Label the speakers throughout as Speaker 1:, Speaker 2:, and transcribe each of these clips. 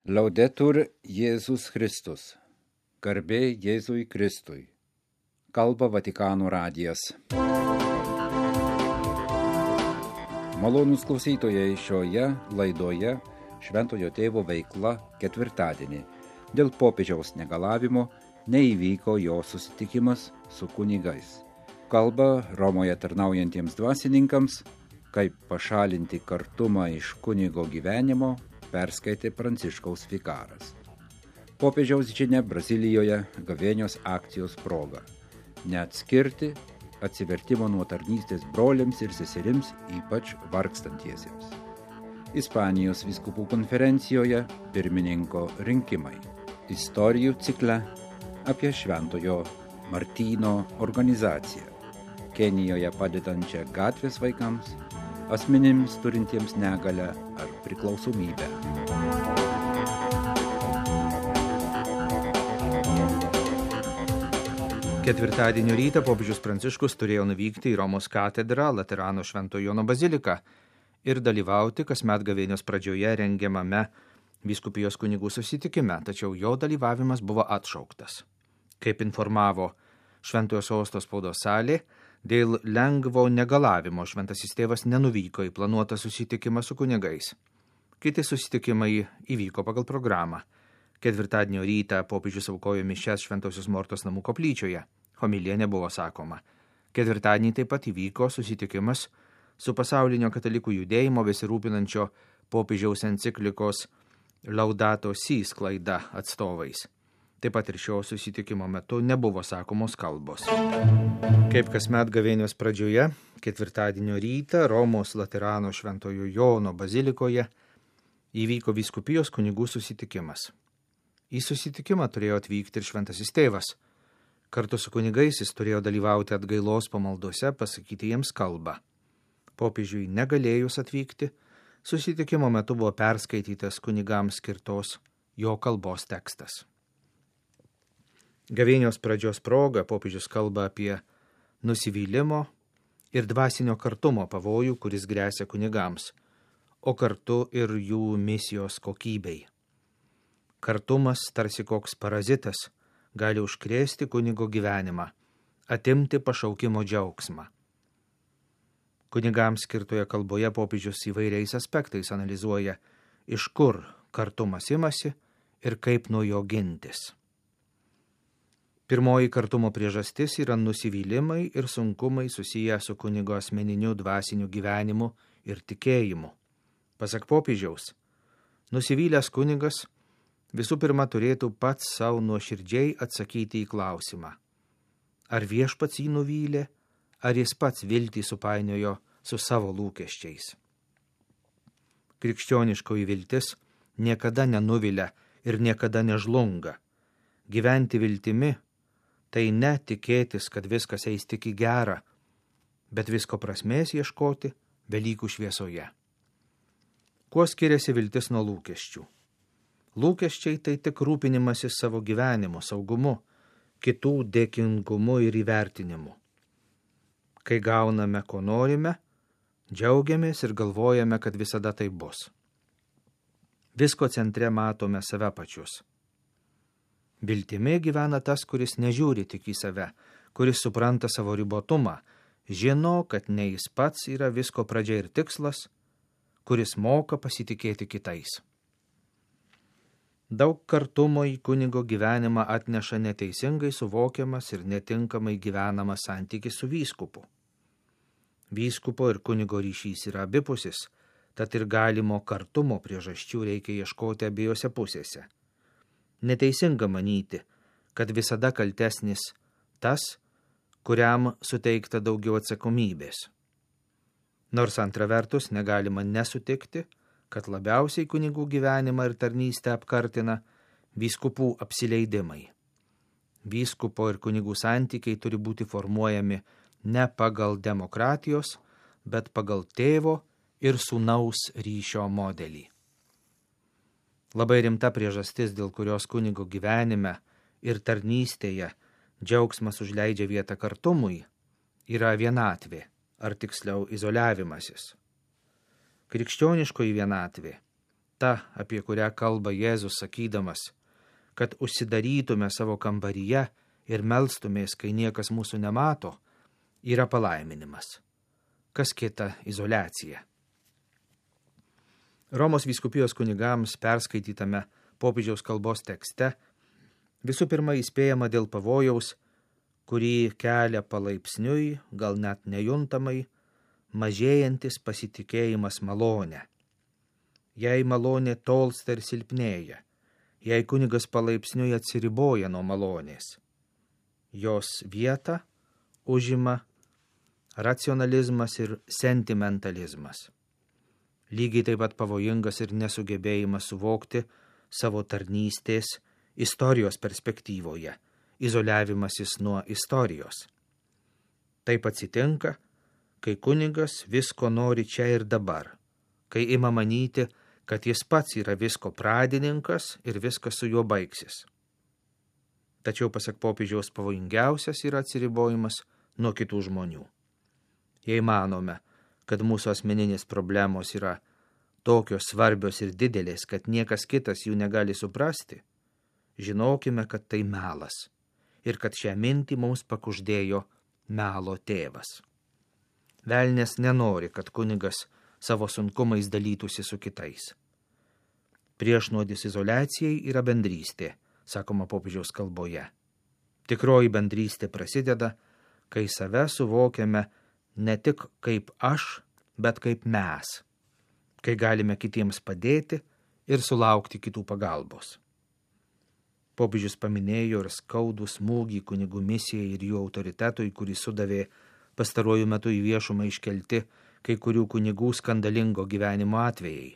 Speaker 1: Laudetur Jėzus Kristus. Garbė Jėzui Kristui. Kalba Vatikano radijas. Malonūs klausytojai, šioje laidoje Šventojo Tėvo veikla ketvirtadienį. Dėl popiežiaus negalavimo neįvyko jo susitikimas su kunigais. Kalba Romoje tarnaujantiems dvasininkams, kaip pašalinti kartumą iš kunigo gyvenimo, perskaitė Pranciškaus vikaras. Popiežiaus žinia Brazilijoje gavėnios akcijos proga. Neatskirti atsivertimo nuo tarnystės broliams ir seserims, ypač vargstantiesiems. Ispanijos vyskupų konferencijoje pirmininko rinkimai. Istorijų cikle apie Šventojo Martyno organizaciją. Kenijoje padedančią gatvės vaikams, asmenims turintiems negalią ar priklausomybę.
Speaker 2: Ketvirtadienio rytą popiežius Pranciškus turėjo nuvykti į Romos katedrą, Laterano Šventojo Jono baziliką ir dalyvauti kasmet gavėnios pradžioje rengiamame vyskupijos kunigų susitikime, tačiau jo dalyvavimas buvo atšauktas. Kaip informavo Šventojo Sosto spaudos salė, dėl lengvo negalavimo šventasis tėvas nenuvyko į planuotą susitikimą su kunigais. Kiti susitikimai įvyko pagal programą. Ketvirtadienio rytą popiežius aukojo mišias Šventosios Mortos namų koplyčioje. Homilija nebuvo sakoma. Ketvirtadienį taip pat įvyko susitikimas su pasaulinio katalikų judėjimo besirūpinančio popiežiaus enciklikos Laudato Si sklaida atstovais. Taip pat ir šio susitikimo metu nebuvo sakomos kalbos. Kaip kasmet gavėnios pradžioje, ketvirtadienio rytą Romos Laterano Šventojo Jono bazilikoje įvyko vyskupijos kunigų susitikimas. Į susitikimą turėjo atvykti ir šventasis tėvas. Kartu su kunigais jis turėjo dalyvauti atgailos pamaldose, pasakyti jiems kalbą. Popiežiui negalėjus atvykti, susitikimo metu buvo perskaitytas kunigams skirtos jo kalbos tekstas. Gavėnios pradžios proga popiežius kalba apie nusivylimo ir dvasinio kartumo pavojų, kuris gresia kunigams, o kartu ir jų misijos kokybei. Kartumas, tarsi koks parazitas, gali užkrėsti kunigo gyvenimą, atimti pašaukimo džiaugsmą. Kunigams skirtoje kalboje popiežius įvairiais aspektais analizuoja, iš kur kartumas imasi ir kaip nuo jo gintis. Pirmoji kartumo priežastis yra nusivylimai ir sunkumai susiję su kunigo asmeniniu dvasiniu gyvenimu ir tikėjimu. Pasak popiežiaus, nusivylęs kunigas visų pirma turėtų pats savo nuoširdžiai atsakyti į klausimą, ar viešpats jį nuvylė, ar jis pats viltį supainiojo su savo lūkesčiais. Krikščioniškoji viltis niekada nenuvilia ir niekada nežlunga. Gyventi viltimi tai ne tikėtis, kad viskas eis tik į gerą, bet visko prasmės ieškoti Velykų šviesoje. Kuo skiriasi viltis nuo lūkesčių? Lūkesčiai tai tik rūpinimasis savo gyvenimu, saugumu, kitų dėkingumu ir įvertinimu. Kai gauname, ko norime, džiaugiamės ir galvojame, kad visada tai bus. Visko centre matome save pačius. Viltimi gyvena tas, kuris nežiūri tik į save, kuris supranta savo ribotumą, žino, kad ne jis pats yra visko pradžia ir tikslas, kuris moka pasitikėti kitais. Daug kartumo į kunigo gyvenimą atneša neteisingai suvokiamas ir netinkamai gyvenamas santykis su vyskupu. Vyskupo ir kunigo ryšys yra abipusis, tad ir galimo kartumo priežasčių reikia ieškoti abiejose pusėse. Neteisinga manyti, kad visada kaltesnis tas, kuriam suteikta daugiau atsakomybės. Nors antra vertus negalima nesutikti, kad labiausiai kunigų gyvenimą ir tarnystę apkartina vyskupų apsileidimai. Vyskupo ir kunigų santykiai turi būti formuojami ne pagal demokratijos, bet pagal tėvo ir sūnaus ryšio modelį. Labai rimta priežastis, dėl kurios kunigo gyvenime ir tarnystėje džiaugsmas užleidžia vietą kartumui, yra vienatvė, ar tiksliau izoliavimasis. Krikščioniškoji vienatvė ta, apie kurią kalba Jėzus sakydamas, kad užsidarytume savo kambaryje ir melstumės, kai niekas mūsų nemato, yra palaiminimas. Kas kita izoliacija. Romos vyskupijos kunigams perskaitytame popiežiaus kalbos tekste visų pirma įspėjama dėl pavojaus, kurį kelia palaipsniui, gal net nejuntamai, mažėjantis pasitikėjimas malone. Jei malonė tolsta ir silpnėja, jei kunigas palaipsniui atsiriboja nuo malonės, jos vietą užima racionalizmas ir sentimentalizmas. Lygiai taip pat pavojingas ir nesugebėjimas suvokti savo tarnystės istorijos perspektyvoje, izoliavimasis nuo istorijos. Taip atsitinka, kai kunigas visko nori čia ir dabar, kai ima manyti, kad jis pats yra visko pradininkas ir viskas su juo baigsis. Tačiau, pasak popiežiaus, pavojingiausias yra atsiribojimas nuo kitų žmonių. Jei manome, kad mūsų asmeninės problemos yra tokios svarbios ir didelės, kad niekas kitas jų negali suprasti, žinokime, kad tai melas ir kad šią mintį mums pakuždėjo melo tėvas. Velnias nenori, kad kunigas savo sunkumais dalytųsi su kitais. Priešnuodis izoliacijai yra bendrystė, sakoma popiežiaus kalboje. Tikroji bendrystė prasideda, kai save suvokiame ne tik kaip aš, bet kaip mes, kai galime kitiems padėti ir sulaukti kitų pagalbos. Popiežius paminėjo ir skaudų smūgį kunigų misijai ir jų autoritetui, kurį sudavė pastaruoju metu į viešumą iškelti kai kurių kunigų skandalingo gyvenimo atvejai.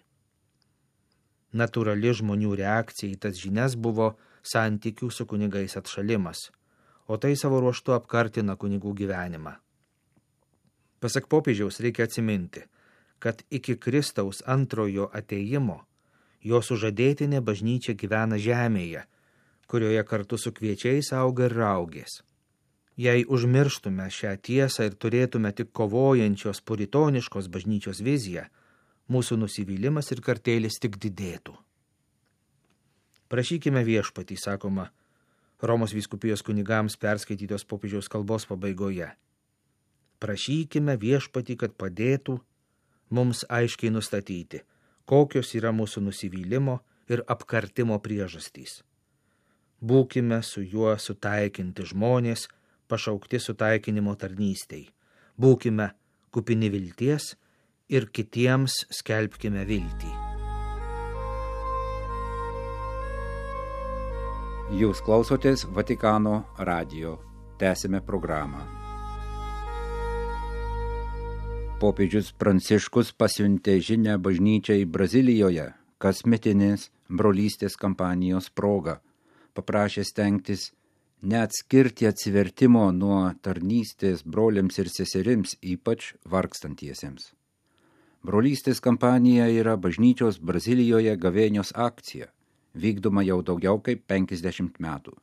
Speaker 2: Natūrali žmonių reakcija į tas žinias buvo santykių su kunigais atšalimas, o tai savo ruožtu apkartina kunigų gyvenimą. Pasak popiežiaus reikia atsiminti, kad iki Kristaus antrojo atėjimo jo sužadėtinė bažnyčia gyvena žemėje, kurioje kartu su kviečiais auga ir raugės. Jei užmirštume šią tiesą ir turėtume tik kovojančios puritoniškos bažnyčios viziją, mūsų nusivylimas ir kartėlis tik didėtų. Prašykime viešpatį, sakoma Romos vyskupijos kunigams perskaitytos popiežiaus kalbos pabaigoje. Prašykime viešpatį, kad padėtų mums aiškiai nustatyti, kokios yra mūsų nusivylimo ir apkartimo priežastys. Būkime su juo sutaikinti žmonės, pašaukti sutaikinimo tarnystei. Būkime kupini vilties ir kitiems skelbkime viltį.
Speaker 1: Jūs klausotės Vatikano radijo. Tęsime programą. Popiežius Pranciškus pasiuntė žinią bažnyčiai Brazilijoje kasmetinės brolystės kampanijos proga. Paprašė stengtis neatskirti atsivertimo nuo tarnystės broliams ir seserims, ypač vargstantiesiems. Brolystės kampanija yra bažnyčios Brazilijoje gavėnios akcija, vykdoma jau daugiau kaip 50 metų.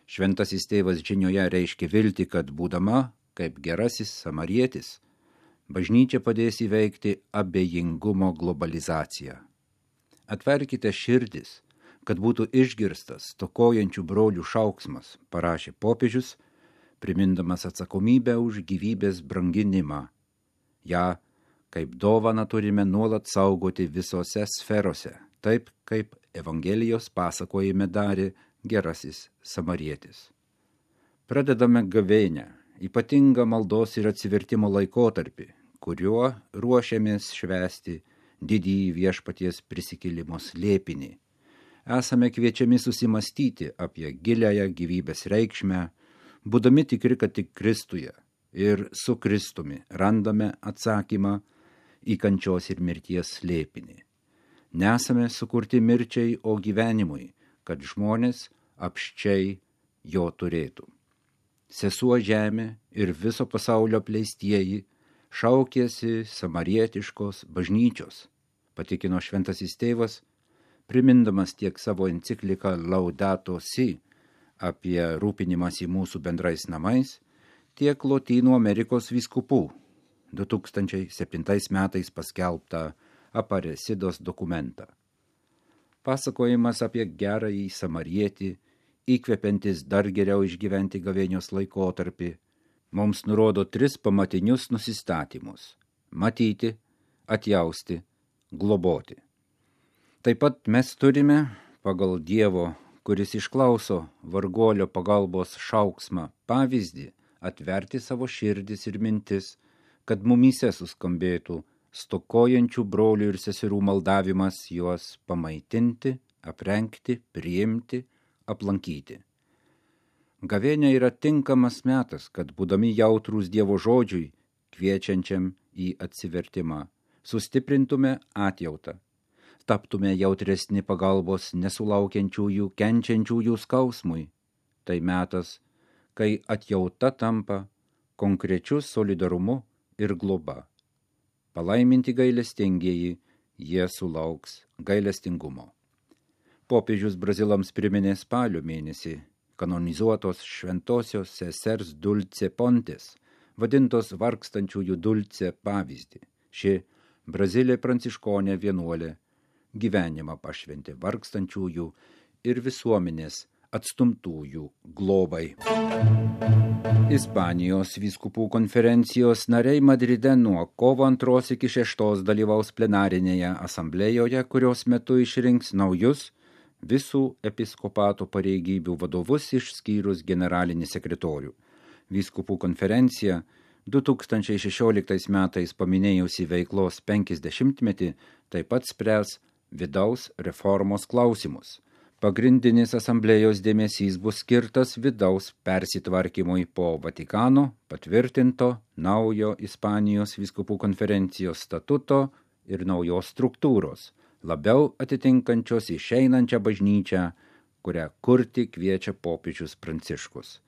Speaker 1: Šventasis tėvas žinioje reiškia viltį, kad būdama kaip gerasis samarietis, bažnyčia padės įveikti abejingumo globalizaciją. Atverkite širdis, kad būtų išgirstas stokojančių brolių šauksmas, parašė popiežius, primindamas atsakomybę už gyvybės branginimą. Ja, kaip dovaną turime nuolat saugoti visose sferose, taip kaip Evangelijos pasakojime darė gerasis samarietis. Pradedame gavėnią, ypatingą maldos ir atsivertimo laikotarpį, kuriuo ruošiamės švęsti didįjį viešpaties prisikėlimo slėpinį. Esame kviečiami susimastyti apie giliąją gyvybės reikšmę, būdami tikri, kad tik Kristuje ir su Kristumi randame atsakymą į kančios ir mirties slėpinį. Nesame sukurti mirčiai, o gyvenimui, kad žmonės apsčiai jo turėtų. Sesuo žemė ir viso pasaulio apleistieji šaukėsi samarietiškos bažnyčios, patikino šventasis tėvas, primindamas tiek savo encikliką Laudato Si apie rūpinimąsi mūsų bendrais namais, tiek Lotynų Amerikos vyskupų 2007 metais paskelbtą Aparecidos dokumentą. Pasakojimas apie gerąjį samarietį, įkvepiantis dar geriau išgyventi gavėnios laikotarpį, mums nurodo 3 pamatinius nusistatymus – matyti, atjausti, globoti. Taip pat mes turime, pagal Dievo, kuris išklauso varguolio pagalbos šauksmą, pavyzdį, atverti savo širdis ir mintis, kad mumyse suskambėtų stokojančių brolių ir seserų maldavimas juos pamaitinti, aprengti, priimti, aplankyti. Gavėnia yra tinkamas metas, kad būdami jautrūs Dievo žodžiui, kviečiančiam į atsivertimą, sustiprintume atjautą, taptume jautresni pagalbos nesulaukiančiųjų, kenčiančiųjų skausmui. Tai metas, kai atjauta tampa konkrečiu solidarumu ir globa. Palaiminti gailestingieji, jie sulauks gailestingumo. Popiežius brazilams priminė spalio mėnesį kanonizuotos šventosios sesers Dulce Pontes, vadintos vargstančiųjų Dulce pavyzdį. Ši Brazilė pranciškonė vienuolė gyvenimą pašventė vargstančiųjų ir visuomenės atstumtųjų globai. Ispanijos vyskupų konferencijos nariai Madride nuo kovo 2 iki 6 dalyvaus plenarinėje asamblėjoje, kurios metu išrinks naujus visų episkopato pareigybių vadovus išskyrus generalinį sekretorių. Vyskupų konferencija 2016 metais paminėjusi veiklos 50-metį taip pat spręs vidaus reformos klausimus. Pagrindinis asamblėjos dėmesys bus skirtas vidaus persitvarkymui po Vatikano patvirtinto naujo Ispanijos vyskupų konferencijos statuto ir naujos struktūros, labiau atitinkančios išeinančią bažnyčią, kurią kurti kviečia popiežius Pranciškus.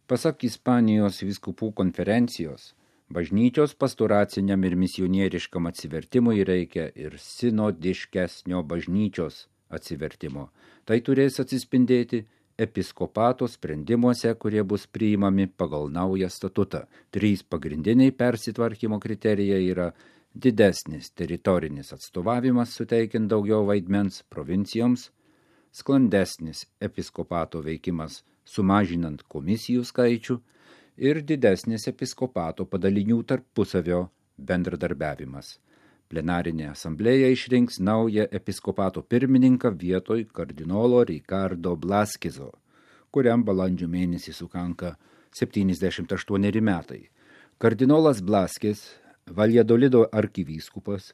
Speaker 1: Pasak Ispanijos vyskupų konferencijos, bažnyčios pastoraciniam ir misionieriškam atsivertimui reikia ir sinodiškesnio bažnyčios atsivertimo. Tai turės atsispindėti episkopato sprendimuose, kurie bus priimami pagal naują statutą. 3 pagrindiniai persitvarkymo kriterijai yra didesnis teritorinis atstovavimas, suteikiant daugiau vaidmens provincijoms, sklandesnis episkopato veikimas, sumažinant komisijų skaičių ir didesnis episkopato padalinių tarpusavio bendradarbiavimas. Plenarinė asamblėja išrinks naują episkopato pirmininką vietoj kardinolo Ricardo Blaskezo, kuriam balandžio mėnesį sukanka 78 metai. Kardinolas Blaskes, Valjadolido arkivyskupas,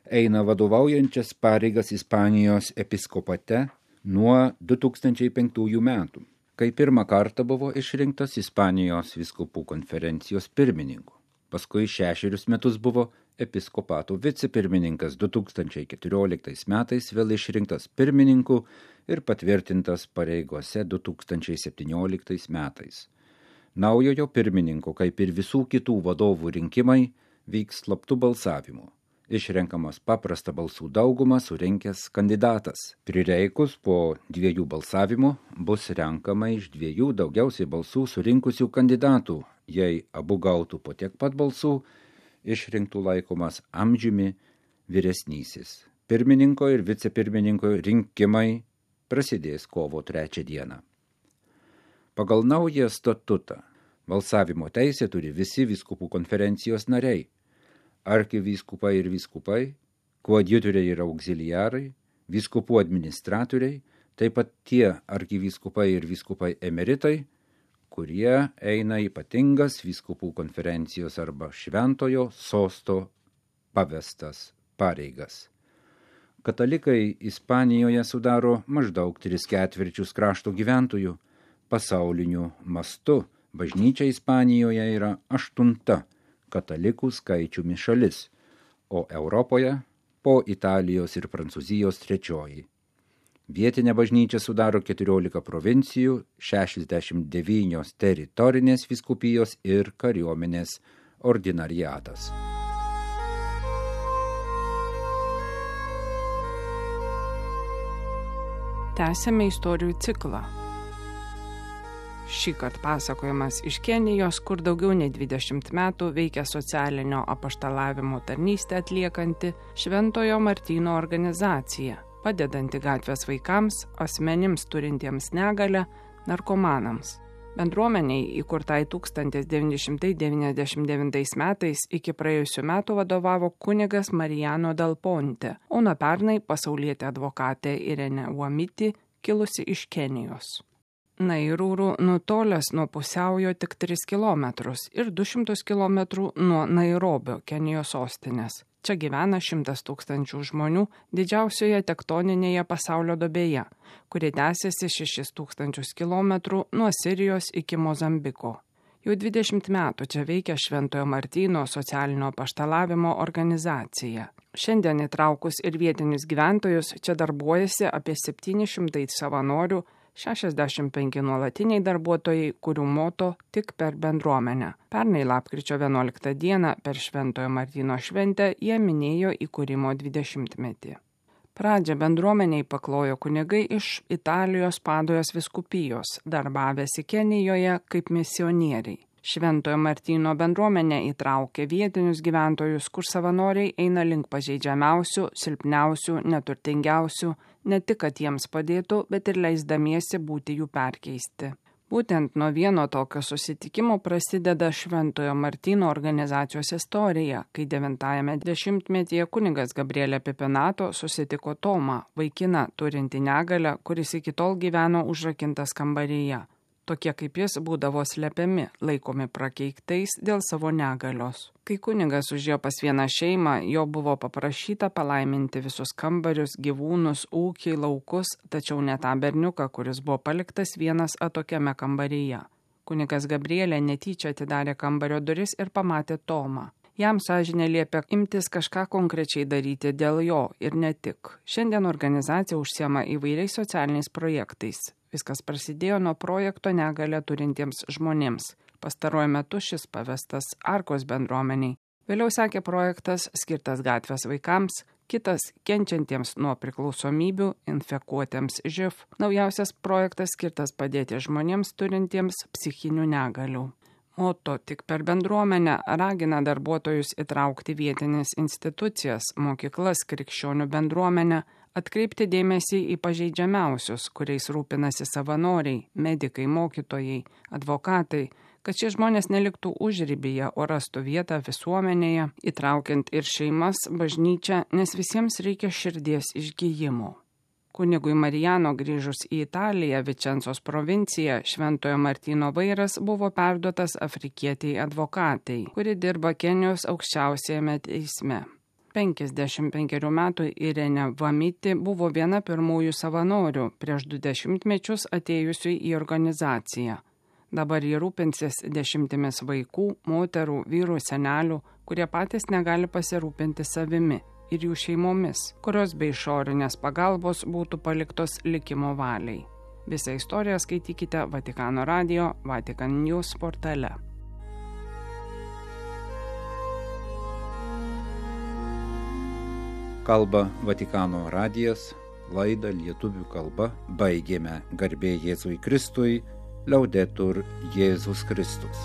Speaker 1: eina vadovaujančias pareigas Ispanijos episkopate nuo 2005 metų, kai pirmą kartą buvo išrinktas Ispanijos vyskupų konferencijos pirmininku. Paskui 6 metus buvo episkopato vicepirmininkas, 2014 metais vėl išrinktas pirmininku ir patvirtintas pareigose 2017 metais. Naujojo pirmininko, kaip ir visų kitų vadovų rinkimai, vyks slaptų balsavimų. Išrenkamas paprastą balsų daugumą surinkęs kandidatas. Prireikus po 2 balsavimų bus renkama iš 2 daugiausiai balsų surinkusių kandidatų. Jei abu gautų po tiek pat balsų, išrinktų laikomas amžiumi vyresnysis. Pirmininko ir vicepirmininko rinkimai prasidės kovo 3 dieną. Pagal naują statutą balsavimo teisę turi visi vyskupų konferencijos nariai, arkivyskupai ir vyskupai, koadjutoriai ir auxiliarai, vyskupų administratoriai, taip pat tie arkivyskupai ir vyskupai emeritai, kurie eina ypatingas vyskupų konferencijos arba šventojo sosto pavestas pareigas. Katalikai Ispanijoje sudaro maždaug 3/4 krašto gyventojų. Pasauliniu mastu bažnyčia Ispanijoje yra 8 katalikų skaičiumi šalis, o Europoje po Italijos ir Prancūzijos 3. Vietinė bažnyčia sudaro 14 provincijų, 69 teritorinės vyskupijos ir kariuomenės ordinariatas.
Speaker 3: Tęsiame istorijų ciklą. Šįkart pasakojimas iš Kenijos, kur daugiau nei 20 metų veikia socialinio apaštalavimo tarnystę atliekanti Šventojo Martyno organizacija. padedanti gatvės vaikams, asmenims turintiems negalią, narkomanams. Bendruomeniai, įkurtai 1999 metais, iki praėjusių metų vadovavo kunigas Mariano Dal Ponte, o nuo pernai pasaulietė advokatė Irene Wamiti, kilusi iš Kenijos. Nairūrų nutolęs nuo pusiaujo tik 3 km ir 200 km nuo Nairobio, Kenijos sostinės. Čia gyvena 100 000 žmonių didžiausioje tektoninėje pasaulio duobėje, kuri tęsiasi 6000 km nuo Sirijos iki Mozambiko. Jau 20 metų čia veikia Šventojo Martyno socialinio apaštalavimo organizacija. Šiandien įtraukus ir vietinius gyventojus čia darbuojasi apie 700 savanorių, 65 nuolatiniai darbuotojai, kurių moto tik per bendruomenę. Pernai lapkričio 11 dieną per Šventojo Martyno šventę jie minėjo įkūrimo 20-metį. Pradžią bendruomeniai paklojo kunigai iš Italijos Padojos vyskupijos, darbavęsi Kenijoje kaip misionieriai. Šventojo Martyno bendruomenė įtraukė vietinius gyventojus, kur savanoriai eina link pažeidžiamiausių, silpniausių, neturtingiausių, ne tik, kad jiems padėtų, bet ir leisdamiesi būti jų perkeisti. Būtent nuo vieno tokio susitikimo prasideda Šventojo Martyno organizacijos istorija, kai 90-ame dešimtmetyje kunigas Gabrielė Pipinato susitiko Tomą, vaikiną turintį negalią, kuris iki tol gyveno užrakintas kambaryje. Tokie kaip jis būdavo slepiami, laikomi prakeiktais dėl savo negalios. Kai kunigas užėjo pas vieną šeimą, jo buvo paprašyta palaiminti visus kambarius, gyvūnus, ūkį, laukus, tačiau ne tą berniuką, kuris buvo paliktas vienas atokiame kambaryje. Kunigas Gabrielė netyčia atidarė kambario duris ir pamatė Tomą. Jam sąžinė liepė imtis kažką konkrečiai daryti dėl jo ir ne tik. Šiandien organizacija užsiema įvairiais socialiniais projektais. Viskas prasidėjo nuo projekto negalią turintiems žmonėms. Pastaruoju metu šis pavestas Arkos bendruomeniai. Vėliau sekė projektas skirtas gatvės vaikams, kitas kenčiantiems nuo priklausomybių, infekuotiems živ. Naujausias projektas skirtas padėti žmonėms turintiems psichinių negalių. Moto tik per bendruomenę ragina darbuotojus įtraukti vietinės institucijas, mokyklas, krikščionių bendruomenę, atkreipti dėmesį į pažeidžiamiausius, kuriais rūpinasi savanoriai, medikai, mokytojai, advokatai, kad šie žmonės neliktų užribyje, o rastų vietą visuomenėje, įtraukiant ir šeimas, bažnyčią, nes visiems reikia širdies išgijimo. Kunigui Mariano grįžus į Italiją, Vičencos provinciją, Šventojo Martyno vairas buvo perduotas afrikietiai advokatai, kuri dirba Kenijos aukščiausiajame teisme. 55 metų Irene Wamiti buvo viena pirmųjų savanorių prieš 20 mečius atėjusių į organizaciją. Dabar jie rūpinsis 10 vaikų, moterų, vyrų, senelių, kurie patys negali pasirūpinti savimi ir jų šeimomis, kurios be išorinės pagalbos būtų paliktos likimo valiai. Visą istoriją skaitykite Vatikano radijo Vatican News portale.
Speaker 1: Kalba Vatikano radijas, laidą lietuvių kalba baigėme. Garbė Jėzui Kristui, Laudetur Jėzus Kristus.